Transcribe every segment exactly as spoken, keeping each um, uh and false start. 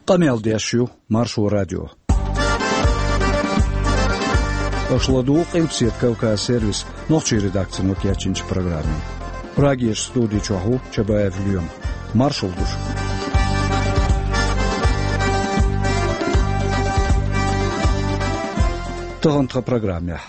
Къамел деш ю Маршо радио. Аша ладугӀу Къилбаседа Кавказ сервисан нохчийн редакцино кечйинчу программе. Прагерчу студи чохь ву Чабаев Лоьма. Маршалла ду шуьга. Тахана тхан программехь.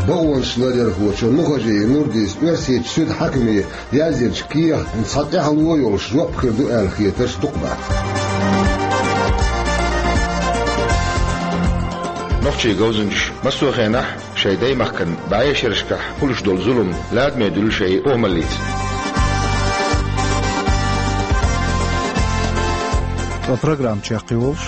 Бакъонаш ларъярхочо Нухажиев Нурдис Оьрсийчу суьдан хьаькаме яздинчу кехатна цхьа тӀаьхьало йолуш жоп хир ду аьлла хетарш дукха бац. Нохчийн говзанчаша массо а хенахь шайн даймахкана бӀешерашкахь хуьлуш долу зулам ладаме дуьллу шайн охӀмаллица. Ткъа программа чекхйолуш.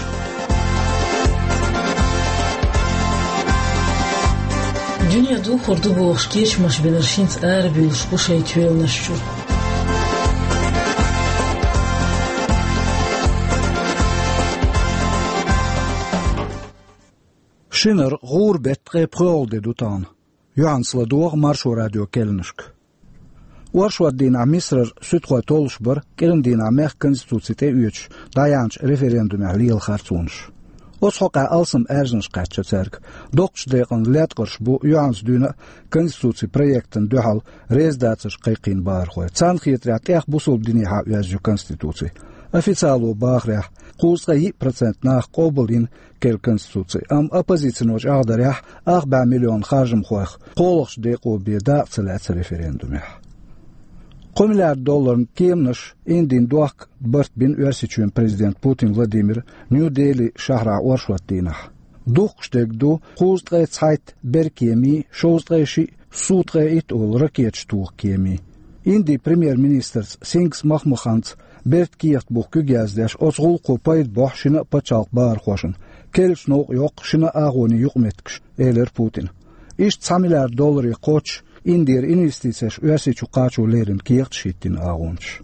Дуьне духур ду бохуш кечамаш бинарш хӀинца арабуьйлуш бу шайн тоьланаш чуьра. Шинара гӀура беттан ткъе пхоьалгӀа де ду тахана. Юьхьанца ладогӀа Маршо радион керланашка. Оршот дийнахь Мисарара суьдхой толлуш бара кӀиран дийнахь мехкан конституци тӀеоьцуш дӀаяьхьначу референдумехь лела харцонаш. Оцу хьокъехь алсам аьрзнаш кхаьчна цаьрга. Доккхачу декъана латкъарш бу юьхьанца дуьйна а конституцин проектана дуьхьал реза дацарш кхайкхийна бахархой. Царна хетарехь, тӀех бусалба динехьа оьзна ю конституци. Официало бахарехь, кхузткъе йиъ процент наха къобалйина керла конституци, амма оппозицино чӀагӀдарехь, ах бӀе миллион харжамхойх кхоалгӀачу декъо бен дакъа ца лаьцна референдумехь. Кхо миллиард долларна кеманаш Индин дохка барт бина Оьрсийчоьнан президента Путин Владимира Нью-Дели шахьарахь оршот дийнахь. Духкуш дерг ду кхузткъе цхьайтта беркемий, шовзткъе шиъ Су ткъе итт олу ракеташ тоха кемий. Индин премьер-министрца Сингх Махмаханца бертан кехат буха куьг яздеш, оцу гӀуллакхо пайда бохьу шина а пачхьалкхан бахархошна, керлачу новкъа йоккху шина а агӀонийн юкъаметтигаш, элира Путина. Иштта цхьа миллиард долларе кхоччуш Индера инвестицеш Оьрсийчу кхачо леррина кехаташ хӀиттийна агӀончаша.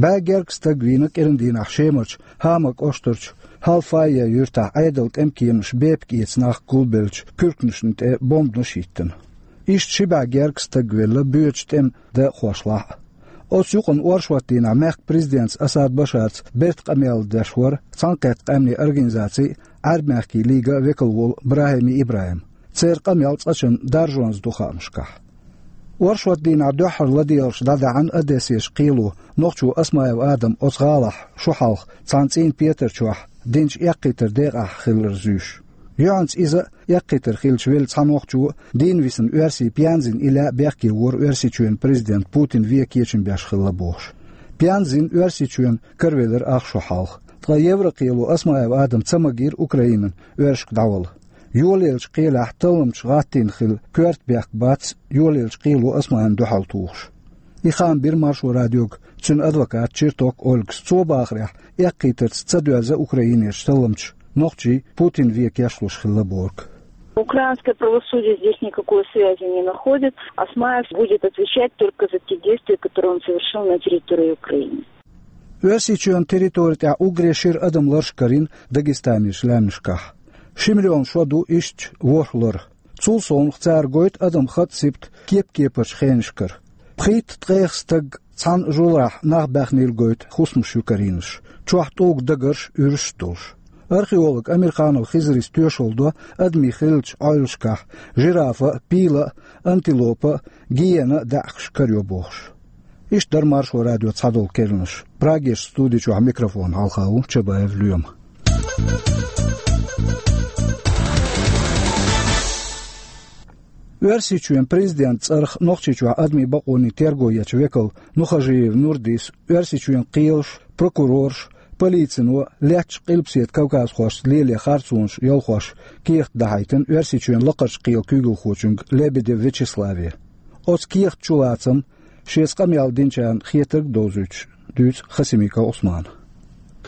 БӀе гергга стаг вийна кӀиран дийнахь Шемарчу Хама кӀоштарчу Хьалфайя юьртахь Ӏедалан тӀеман кеманаша бепиг эца нах гулбеллачу куьрканашна тӀе бомбанаш а хӀиттина. Иштта ши бӀе гергга стаг велла боьдучу тӀеман декъахошлахь а. Оцу юкъана оршот дийнахь мехкан президентца Асад Башарца бертан къамел деш вара Цхьаьнакхеттачу Къаьмнийн Организацин а, Ӏаьрбийн мехкийн лиган а векал волу БрахӀими ИбрахӀим. Церан къамел цкъачунна даржонца ду хаамашкахь. Оршот дийнахь дуьххьара ладегӀарш дӀадаьхьна Одессерчу кхело, нохчо Осмаев Адам оцу гӀалахь шо хьалха цхьана цӀийнан петар чохь динчу эккхийтаран декъахь хилар зуьйш. Юьхьанца иза а, эккхийтар хилча велла цхьа нохчо а, дийна висина оьрсий Пьянзин Иля а бехке вора Оьрсийчоьнан президент Путин вен кечам беш хилла бохуш. Пьянзин Оьрсийчоьнна каравелира ах шо хьалха. Ткъа Еврокхело Осмаев Адам ца магийра Украинан оьрсашка дӀавала. Йолаеллачу кхелехь талламчаша гӀаттийна хилла коьрта бехк бац йолаеллачу кхело Османна дуьхьал тухуш. И хаам бира Маршо радиога цуьнан адвоката Черток Ольгас. Цо бахарехь, эккхийтарца ца доьзна Украинерчу талламчаша нохчий Путин вен кечлуш хилла бохург. Украинское правосудие здесь никакой связи не находит. Осмаев будет отвечать только за те действия, которые он совершил на территории Украины. Оьрсийчоьнан территори тӀехь уггаре шира адам ларш карийна Дагестанерчу лаьмнашкахь. Ши миллион шо ду иштачу ворхӀ лар. Цул совнаха цара гойту адам хатӀ-сибат кеп-кепарчу хенашкара. Пхийтта-ткъех стаг цхьана жуларахь нах баьхнийла гойту хӀусамаш ю карийнарш, чохь тӀулга дагарш, уьраш а долуш. Археолог Амирханов Хизрис тоьшалла до адамийн хиллачу Ӏойлашкахь жирафа а, пила а, антилопа а, гиена а даьӀахкаш карайо бохуш. Иштта дара Маршо радион цхьадолу керланаш. Прагерчу студи чохь микрофон хьалха ву Чабаев Лоьма. Оьрсийчоьнан президентан цӀарах Нохчийчохь адамийн бакъонийн терго ечу векал Нухажиев Нурдис Оьрсийчоьнан кхелаша, прокурораша, полицино лаьттачу Къилбаседа кавказхошца лелийна харцонаш ялхош кехат дахьийтина Оьрсийчоьнан лакхарчу кхелан куьйгалхочуьнга Лебедев Вячеславе. Оцу кехатан чулацам, шеца къамел динчарна хетарг а довзуьйтуш, дуьйцу Хасимиков Ӏусмана.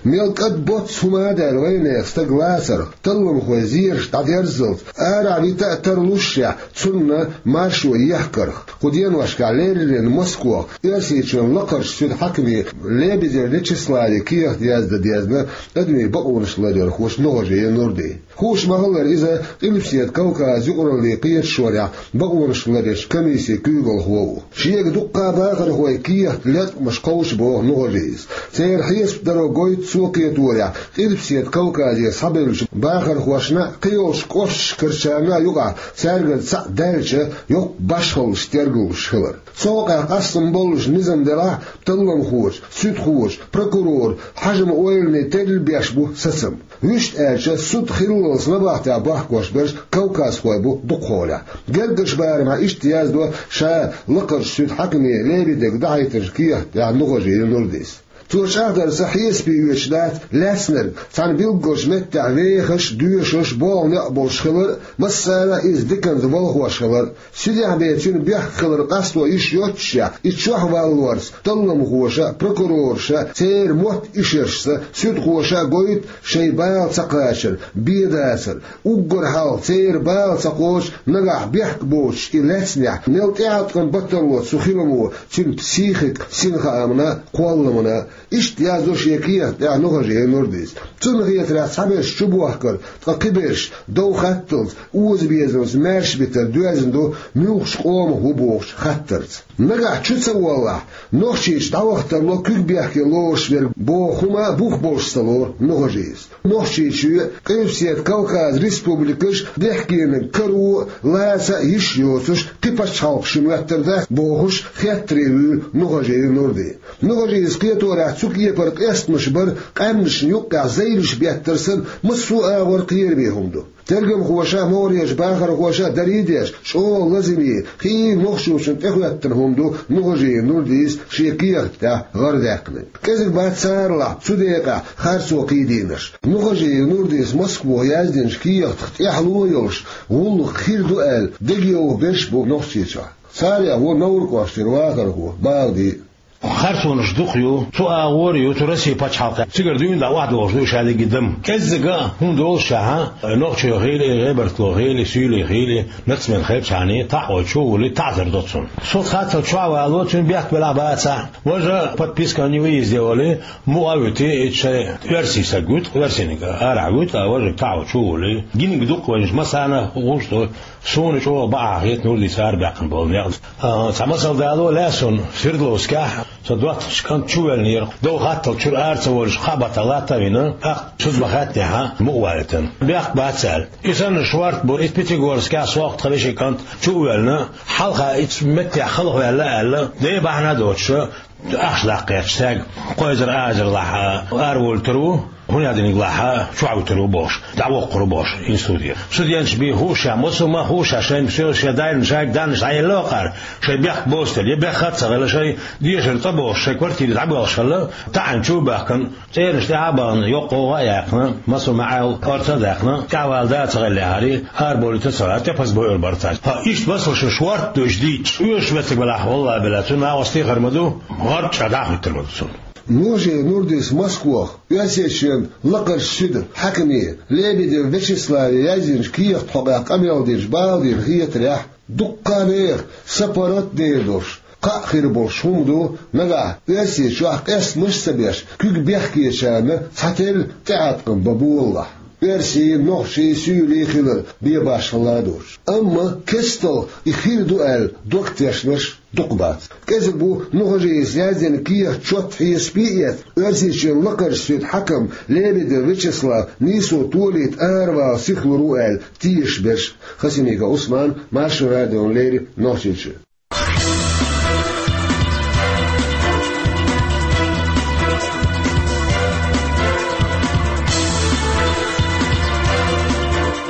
Мел кӀад боцца хӀума а даьлла вайнехан стаг лацарх, талламхой зераш дӀадерззалц, арахь вита а тарлушшехь, цунна маршо ехкарх. Кху деношкахь леррина Москвахь Оьрсийчоьнан лакхарчу суьдан хьаькаме Лебедев Вячеславе кехат яздан дезна адамийн бакъонаш ларъярхочо Нухажиев Нурдис. Хууш ма-хиллара, иза Къилбаседа Кавказан юкъараллин кхеташонехь бакъонаш ларъечу комиссин куьйгалхо ву. Шега дуккха а бахархойн кехат, латкъамаш кховчу боху Нухажиевс. Церан хьесап даро гойту цо кхеторехь, Къилбаседа Кавказе схьабевллачу бахархошна а, кхийолчу кӀошташкарчарна а юкъахь цаьргара цхьаъ даьлча, йоккха башхаллаш тергалуш хилар. Цу хьокъехь къастам боллуш низам делахь а, талламхочу, суьдхочу, прокуроран, хьаькаман ойланийн терра беш бу сацам. Вуьшта аьлча, суд хиллалц набахтехь бохкуш берш кавказхой бу дукхахьолехь. Гергарчу барамехь иштта яздо ша лакхарчу суьдан хьаькаме Лебедевга дахьийтинчу кехатехь Нухажиев Нурдис. Цо чӀагӀдарца, хьесапе оьцуш дац лаьцнарг цхьана билггал меттехь вехаш а, доьшуш а, болх некъ болуш хилар а, массарна а иза диканца балхош хилар а. Суьдехь бен цуьнан бехк хилар къасто йиш йоццушехь, и чохь валлорца талламхоша а, прокурораша а, церан мотт-ишаршца суьдхоша а гойту шайн бала ца кхачар, бен дацар, уггар хьалха церан бала ца кхочу, нагахь бехк боцуш и лаьцнехь, мел тӀеӀаткъам бан тарло цу хиламо цуьнан психикан синхаамна а, кхолламна а. Иштта яздо шен кехатехь Нухажиев Нурдис. Цунна хетарехь, цхьаберш чубохкар, ткъа кхиберш, дов хатталц, озабезамца маьрша битар доьзна ду муьлххачу къомах ву бохучу хаттарца. Нагахь чу ца воллахь, Нохчийчу дӀаваха тарло куьг бехке лоруш верг боху хӀума бух болуш ца лору Нухажиевс. Нохчийчоь а, Къилбаседа Кавказан республикаш а бехкениг каро а, лаца а йиш йоцуш, кхин пачхьалкхаш шуна моьттур дац бохуш, хеттаре вуьйлу Нухажиев Нурди. Нухажиевс кхеторехь, цу кепара къестамаш бар къаьмнашна юккъехь зайлуш беттар санна, массо а агӀор кхераме хӀума ду. Тергамхоша а, могӀарерчу бахархоша а дарий а деш, чӀогӀа лазаме, кхин а нохчочунна тӀехӀоьттина хӀума ду Нухажиев Нурдис шен кехатехь гӀарадаьккхинарг. КӀезиг бац царалахь цу декъехь харцо кхийдийнарш. Нухажиев Нурдис Москвахь яздинчу кехатах тӀаьхьало а йолуш, гӀуллакх хир ду аьлла, дегайовха берш а бу Нохчийчохь. Царех ву Невран кӀоштара вахархо Балди. Харцонаш дукха ю, цу агӀор а ю, цу Россин пачхьалкхехь. Цигара дуьйна дӀа охьадогӀуш ду ша дерриге дама. КӀеззига а хӀума доллушехь, нохчо хили, гӀебартхо хили, суьйле хили, нацмен хилчахьана, таӀо чу а вуьллий, таӀзар до цунна. Со хаттал чохь а вало, цуьнан бехк белахь а бацахь, важа подписка о невыезде олий, мукъа а вуьтий, и шайн оьрсийн стаг вуьту, оьрсийниг арахь вуьту, а важа таӀо чу а вуьллий. Гиниг дукха вайнаш массарна а гӀулч ду. Суна чӀогӀа бакъахьа хета Нурдис арабаьккхина болу некъ. А, цхьа масал дало лаьа суна, Свердловскехь со доттагӀчу кӀант чу а воьллинера, дов хаттал чуьра ара ца волуш, кхаа баттахь латта а вина, тӀаккха шуьца ма хаьттинехь, мукъа валийтина. Бехк бац аьлла. И санна шорта бу, и Пятигорскехь сох тхан вешин кӀант чу а воьллина, хьалха и цу меттехь хала ваьлла аьлла, ден бахьана а доцуш, ахча даккха гӀерташ стаг, кхойзар-азарлахь араволуьйтур ву, хӀун яздиниг лахь чохь вуьтур ву бохуш, дӀавоккхур ву бохуш институте. Студенташ бен хууш, массо а хууш, шайн соьлаш шайн дайна шайга даннаш дӀаелла а кхара, шайн бехк боцуш, я бехк а ца хилла, шайн дешар цӀа бохуш, шайн квартире дӀабоьлхуш хилла, таӀийна чу а баьхкина, цӀернаш тӀе а бахана, йоккха гӀовгӀа а яьккхина, массо а маьӀӀел орца а даьккхина, тӀаьхьавала да а ца хилла яхьарий, араболуьйтур а ца лаьа, тӀепаза бойур бара цаьрца. ХӀа, иштта масалш шортта ду уьш дийцча, оьшуш меттиг белахь, валлахӀи-биллахӀи, цунна накъостий хир ма ду, гӀорта чӀагӀ дӀахӀуьттур ма ду цунна. Нухажиев Нурдис Москвахь Оьрсийчоьнан лакхарчу суьдан хьаькаме Лебедев Вячеславе яздинчу кехатан хьокъехь къамел динчу Балдина хетарехь, дуккха а нехан сапарат а дер долуш, кхаъ хир болуш хӀума ду, нагахь Оьрсийчохь къестамаш а ца беш, куьг бехкечарна цхьатерра тӀеӀаткъам бан болалахь. Оьрсийн, нохчийн суьйлий хилар бен башхалла а доцуш. Амма кестта и хир ду аьлла дог тешнарш дукха бац. КӀезиг бу Нухажиевс яздина кехат чот хьесапе а эцна, Оьрсийчоьнан лакхарчу суьдан хьаькам Лебедев Вячеслав нийсо толийта аравала сихлур ву аьлла тешаш берш. Хасимиков Ӏусман, Маршо радиона леррина, Нохчийчоь.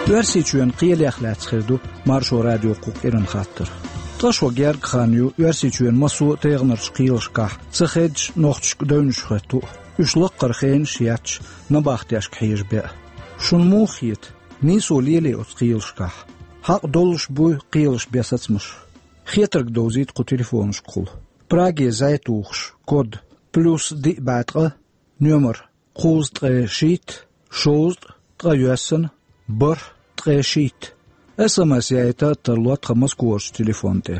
Оьрсийчоьнан кхелех лаьцна хир ду Маршо радион кху кӀиранан хаттар. Ткъа шо гергга хан ю Оьрсийчоьнан массо а тайгӀанарчу кхелашкахь ца хеддаш нохчашка девнаш хоьтту а, уьш лакхара хенаш а етташ, набахтешка хьежа бен а. Шуна муха хета, нийсо лелий оцу кхелашкахь? Хьакъ долуш буй кхелаш бен сацамаш? Хетарг довзийта кху телефонашкахула. Праге зӀе тухуш, код плюс диъ бӀе ткъа, номер кхузткъе шийтта, шовзткъа, ткъе йоьссана, бархӀ, ткъе шийтта. СМС яйта а тарло тхан Москварчу телефон тӀе.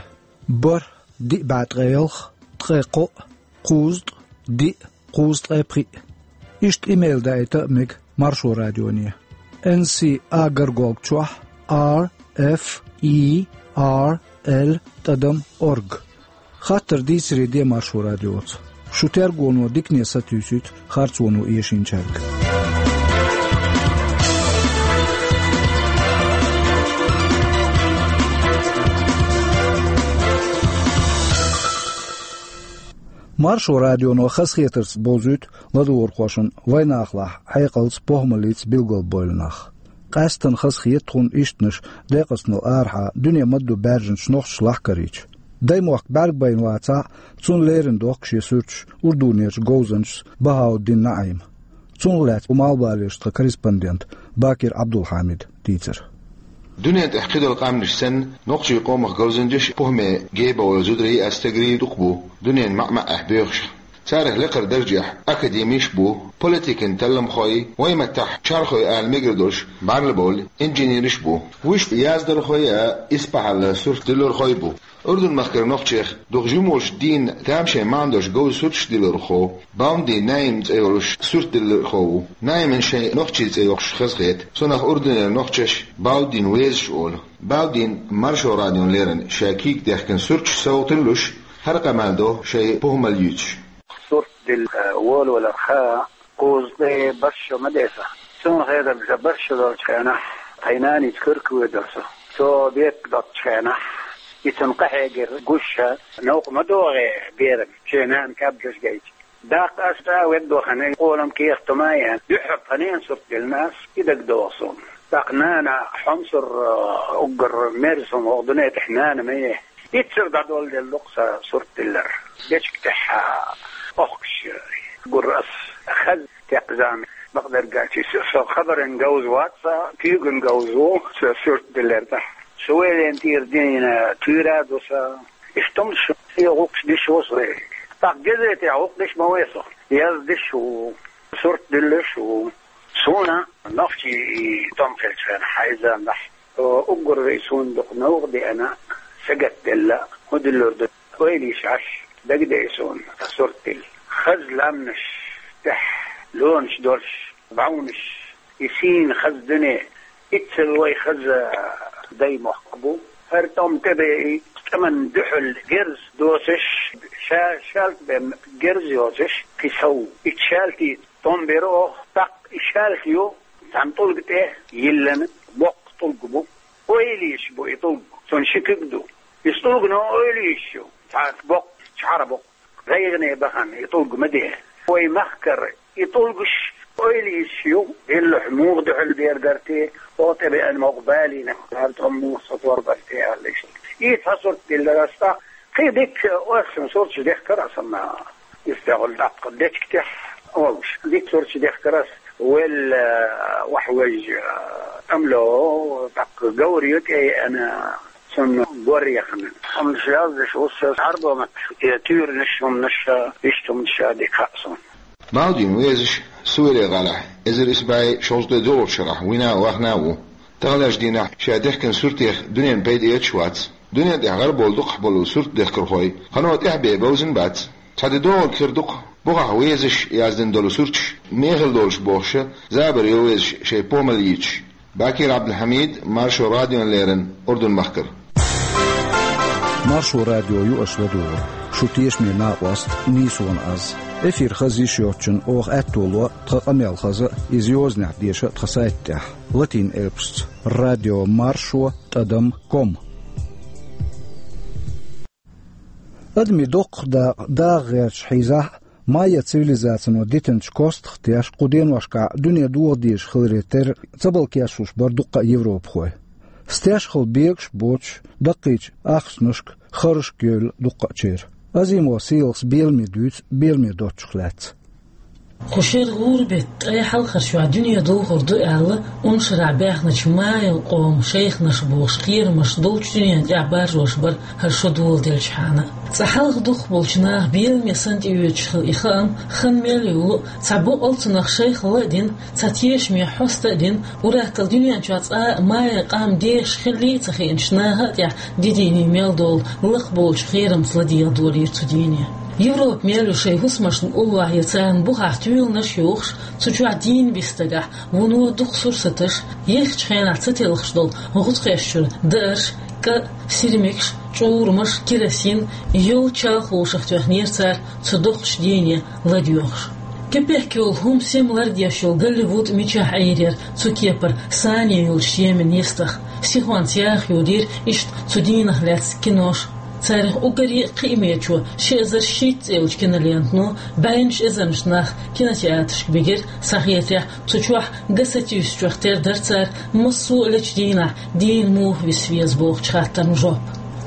БархӀ диъ бӀе ткъе ялх, ткъе кхоъ, кхузткъа диъ, кхузткъе пхиъ. Иштта имейл даийта а мега Маршо радионе. Н С А горголка чохь R F E R L тӀадам орг. Хаттар дийцаре де Маршо радиоца. Шу тергоно дикане сатуьйсуьйту харцоно эшинчаьрга. Маршо радионо хазахетарца бовзуьйту ладугӀурхошна вайнахалахь хьекъалца, похӀмаллица билгалбевлла нах. Къаьсттина хазахета тхуна ишттанаш декъазтанал арахьа дуьне ма-дду баьржинчу нохчашлахь карийча. Даймохк бӀаьргабайна вацахь а, цунна лерина дохку шен суьрташ урдунерчу говзанчас Бахауддин НаӀима. Цунах лаьцна ву малхбалерчу тхан корреспондента Бакир Ӏабдулхьамидан дийцар. Дуьнен тӀехь кхидолу къаьмнаш санна, нохчийн къомах говзанчаш а, похӀме гебавевлла зударий а, стагарий а дукха бу дуьненан маьӀ-маьӀӀехь боьхуш. Царах лекхара даржехь академиш а бу, политикан талламхой, вайн маттахь чархой ала мегар долуш бӀаьрла бовлу инженераш а бу. Уьш яздалхой а, исбахьалла сурт диллархой а бу. Урдун-махкара нохчех дукха жимачу дийнахь тамашийна маьӀна долуш говза сурташ диллархо Баудин НаӀим цӀе йолуш сурт диллархо ву. НаӀиман шайн нохчийн цӀе йоккхуш хазахета. Цунах урдунера нохчаша Баудин везаш олу. Баудина Маршо радиона леррина ша кийга дехкина сурташ совгӀат луш, хӀара къамел до шайн похӀмалла юьйцуш. Сурт дилла волаваларх кхузткъе бархӀ шо ма деза. Суна хетарг, бархӀ шо долчу хенахь тхайн наница куьрка воьдура со. Со бепиг доцучу хенахь, и цунна къахьегира гуш, новкъа ма догӀий берана, шен нана кабдаш гайта. Даккха аса ведда вахана, къолам кехат ма ян, дуьххьара тхан ненан сурт диллина аса, и дагадогӀу суна. ТӀаккха нана хьомсур, уггар мерза хӀума хӀокху дуьне тӀехь нана ма ю. Иццара дӀадолделла ду-кх сан сурт диллар. Дечиг тӀехь охкуш гура ас. Хаза текхзама бакъдерг аьлча, со хабаран говза вац, сан куьйган говза ву сан сурт диллар тӀехь. Со вай лен тӀера дина туьйра а ду сан. Иштта хӀумнаш, и гӀуллакхаш деш ву со. ТӀаккха газетехь гӀуллакх деш ма вай со. Яздеш ву, сурт диллаш ву. Суна нохчийн и тӀом хилча хенахь, хьайзандахь, уггар вай суна дукха новкъа деана, сагатделла, хӀун диллур ду, ойла йиш Ӏаш, дагадеа суна сурт дилла. Хаза лаьмнаш тӀехь лонаш долуш, бӀаьвнаш, и сийна хаза дуьне, иццал вай хаза даймохк бу. ХӀара тӀом тӀебеа, и тӀеман дуьхьал герз доцуш, ша шаьлта бен герз йоцуш, кхин сов. И шаьлтий тӀом бира оха, тӀаккха и шаьлта ю, цхьана тӀулга тӀе йиллина, боккха тӀулг бу. Ойла йиш бу и тӀулг, цунна ши куьг ду. Иза тӀулгано ойла йиш ю, цхьа боккха чхьара бу. ГӀайгӀане бахана и тӀулг ма де. Вай махкара и тӀулгаш ойла йиш ю, деллахь муха дуьхьал бер гар те, оха тӀебеана могӀа балийна, хӀара тӀом муха сатор бар те аьлла иштта. И цхьа сурт диллира ас тӀаккха. Кхин дикка оьрсийн сурташ дехкара ас амма. Иза тӀехула даккха дечиг тӀехь олуш. Дика сурташ дехкара ас, велла, вахь вежа, амло, тӀаккха говр ю тӀееана, цунна гор яхана. Амма яздеш ву со Ӏарбо маттахь, я туьйранаш, хӀуманаш, иштта хӀуманаш дика хаьа суна. Баудин везаш Суьйре-ГӀалахь эзар исс бӀе шовзткъе доьалгӀачу шарахь вина а, вахана а ву. Таханлерчу дийнахь ша дехкина суртех дуьненна пайда эцаш вац. Дуьнен тӀехь гӀарабовла дукхахболу суртдехкархой кхано тӀаьхьа бен бовзина бац. Цхьа де догӀург хир ду-кх, бухахь везаш яздина долу сурташ мехала долуш бохуш, забар йо везаш шайн похӀмалла йийцаш. Бакир Ӏабдулхьамид, Маршо радиона леррина, Урдун-махкара. Маршо радио ю аша ладугӀург, шун тешаме накъост нийсонан аз. Эфир хаза йиш йоцчунна оха аьтто ло тхан къамел хаза а, иза йозанехь деша а тхан сайта тӀехь, латин элпашца: радио маршо тӀадам ком. Адамийн доккхах дакъа дагӀа гӀерташ хьийзахь а, майя цивилизацино дитинчу костах теш кху деношкахь дуьне дохо дезаш хиларе терра ца балкешлуш бара дуккха а европахой. Стешхала бегаш а боцуш, даккхийчу ахчанашка, харжашка евлла дуккхачеран. Азимов Сийлахьас беламе дуьйцу беламе доцчух лаьцна. Кху шера гӀуран бетта ткъаь хьалхарчохь дуьне духур ду аьлла, уншарахь баьхначу Майин къоман шайханаш бохуш кхерамаш долчу дуьнен тӀехь баржош бара хӀара шо доладелчхьана. Цкъа хьалха дукхахболчу наха беламе санна тӀеоьцуш хилла и хаам, хан мел йолу а, цхьа бакъ а цунах шайхалла а дина, цхьа тешаме хьоста а дина, уьш атталла дуьнен чохь цкъа а Майин къам дехаш хилла а ца хиъначу наха а тӀехь дийне мел долу лакхаболчу кхерамца ладегӀа долийра цу дийне. Европа мел ю шайн хӀусамашна уллохь я царна бухахь туьйланаш а йохуш, цу чохь дийна бисинчу стагехь вуно дукха сурсаташ, еххачу хенахь ца телхаш долу гӀутакхеш чуьра даарш, кӀа, сирмигаш, чӀурамаш, керосин, йолччалхошах тоьхнера цара цу доккхачу дийне ладоьгӀуш. Кепехк йолу хӀума сема лардеш йолу Голливуд мичахь Ӏийр яра цу кепара сане йолчу шеман йистах, сихонца яха йолийра иштта цу дийнах лаьцна кинош. Царах уггаре а кхиамечо ши эзар шийтта цӀе йолчу кинолентано бӀеннаш эзарнаш нах кинотеатрашка бигира, схьахетарехь, цу чохь ган сатуьйсучух тера дара цара массо а лечу дийнахь дийна муха виса веза бохучу хаттарна жоп.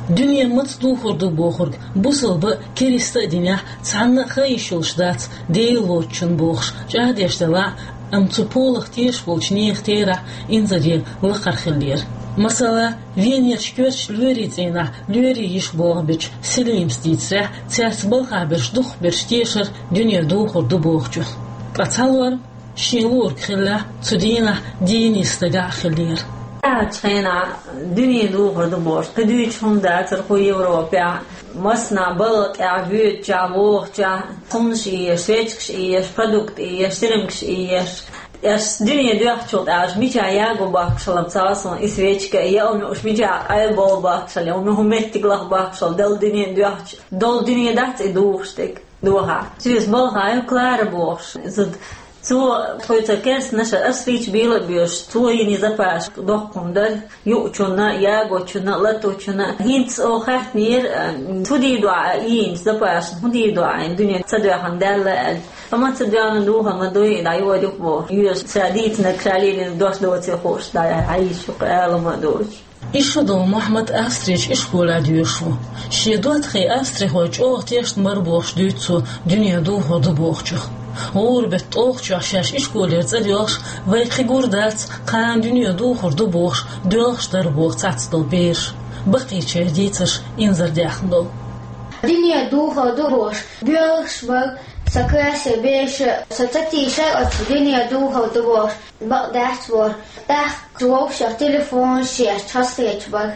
Дуьне маца духур ду бохург бусалба а, кериста а динехь цхьанна а хан йиш йолуш дац, Дела воцучунна бохуш, чӀагӀдеш делахь а, амма цу полах тешаш болчу нехан терахь инзаре лакхара хиллера. Масала, Венерчу коьртачу лоьрийн цӀийнахь лоьрийн йиша болх бечу Селимас дийцарехь, цаьрца балхахь берш дукхахберш тешара дуьне духур ду бохучух. Ткъа цхьалора шен луург хиллехь, цу дийнахь дийна йиса стагахь а хиллера. Ахча хенахь дуьне духур ду бохуш, кхин дуьйцуш хӀума дацара кху Европехь. Массанхьа балха тӀехь, боьдучохь, вохучохь, хӀуманаш еш, свечкаш еш, продукт еш, сирмигаш еш. Аш дуьне доьхначул тӀаьхьа мичахь яго бахкуш хилла ца хаьа суна и свечка, я уьш мичахь къайлабовла бахкуш хилла, я уьш хӀун меттиг лаха бахкуш хилла, Далла дуьне доьхча, долу дуьне дац и духуш дерг. Дохахь. Соьца балхахь ю Клара бохуш. Иза цо тхоьца керстанаша ас фийча бийла а боьш, цо йина запас доккха хӀума дара, юучунна, ягочунна, латочунна. ХӀинца оха хаьттинера, а, хӀун дийр ду ахь, а, йийна запас, хӀун дийр ду ахь, дуьне ца доьхна даьлла аьлла. Амма ца доьхна духар ма дуй, дӀайоьду боху. Йоьш ша дийцинарг ша лелийна дош доций хууш, дӀа-, хьайша ала ма доцуш. Ишшадолу Мухьаммад Австричу ишколехь доьшуш ву. Шен доттагӀий австрихой чӀогӀа тешна бара бохуш дуьйцу цо дуьне духур ду бохучух. ГӀуран беттан тӀулгӀачохь шаьш ишколера цӀа доьлхуш, вай кхин гур дац, кхана дуьне духур ду бохуш, доьлхуш дара боху цхьацдолу бераш. Баккхийчеран дийцарш инзаре даьхна долу. Дуьне духур ду бохуш, боьлхуш бара сан классера бераш, со ца тийшара оцу дуьне духур ду бохуш. Бакъ дац бохура. ТӀаккха вовшах телефонаш еш хазахеташ бара.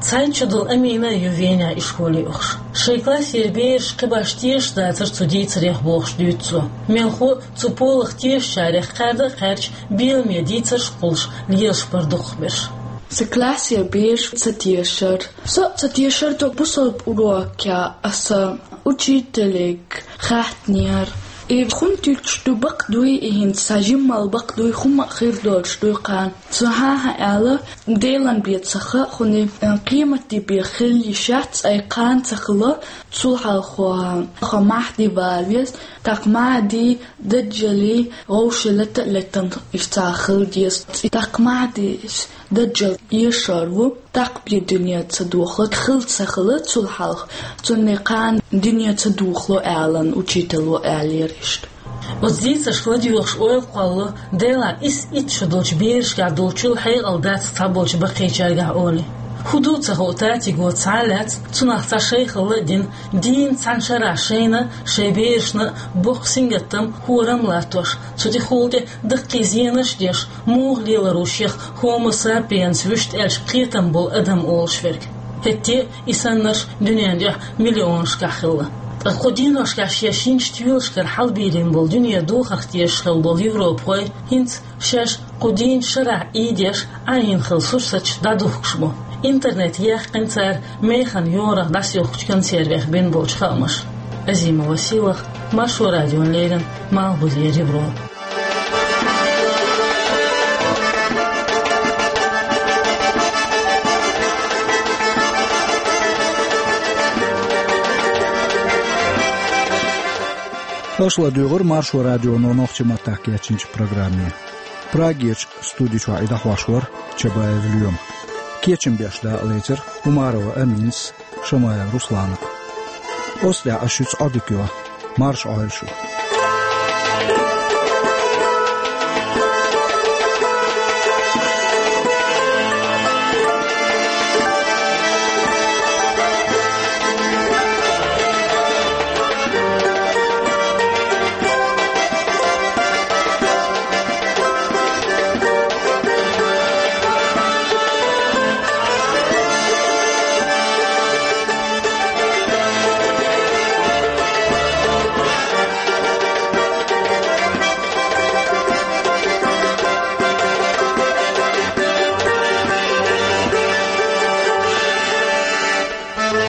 ЦхьайтталгӀачу шарахь Амина а ю Венехь ишколе ухуш. Шайн классера бераш кхин башха тешаш дацара цу дийцарех бохуш дуьйцу цо. Мелхо а цу полах тешачарех кхаьрда а кхаьрдаш, беламе дийцарш а кхуллуш, лелаш бара дукхахберш. Сан классера бераш ца тешара. Со а ца тешара тхо бусалба урокехь аса учителега хаьттинера. И хӀунда туьллуш ду, бакъ дуй и хӀинца, сан жимма бакъ дуй, хӀумма а хир долуш дуй кхана. Цо хӀан-хӀа аьлла, Делан бен ца хаьа хьуна, кхиаматдийнан бен хила йиш яц, ай кхана ца хилла, цул хьалха хьо Маьхьди вала веза, тӀаккха Маьхьди Даджали вовшийн лата а летта, иштта хила деза. ТӀаккха Маьхьдис Даджал эшар ву, тӀаккха бен дуьне ца доху, хила ца хилла цул хьалха, цунна кхана дуьне ца дохало аьлла, учитело аьллера иштта. Оцу дийцаршка ладоьгӀуш ойла кхоллало, Делан исс итт шо долчу берашкахь долчул хьекъал дац цхьаболчу баккхийчаьргахь олий. ХӀун ду ца хуу татиго цхьа а лаьцна, цунах цхьа шайхалла а дина, дийнна цхьана шарахь шайна, шайн берашна а боккха сингаттам, хӀорам а латтош, цу тӀехула тӀе даккхий зенаш а деш, муха лелар ву шех Homo sapiens вуьшта аьлча кхетам болу адам олуш верг? ХӀетте а и саннарш дуьненан дуьхьа миллионашкахь хилла. Ткъа кху деношкахь шен шинчу тоьлашкара хьалабийлина болу дуьне духарх тешаш хилла болу европахой хӀинца шаьш кху дийнан шарахь Ӏийдеш Ӏайина хилла сурсаташ дӀадухкуш бу. Интернете яьккхина цара механа йорах дӀасаухкучу консервех бина болчу хаамаша. Азимова Сийлаха, Маршо радиона леррина, Малхбузера Европа. Аша ладуьйгӀира Маршо радионо нохчийн маттахь кечйинчу программе. Прагерчу студи чохь и дӀахьош вара Чабаев Лоьма. Кечам беш дакъалецира Умарова Аминас, Шамаев Русланас. Оцу тӀехь ас шуьца Ӏодика йо. Марша Ӏойла шу.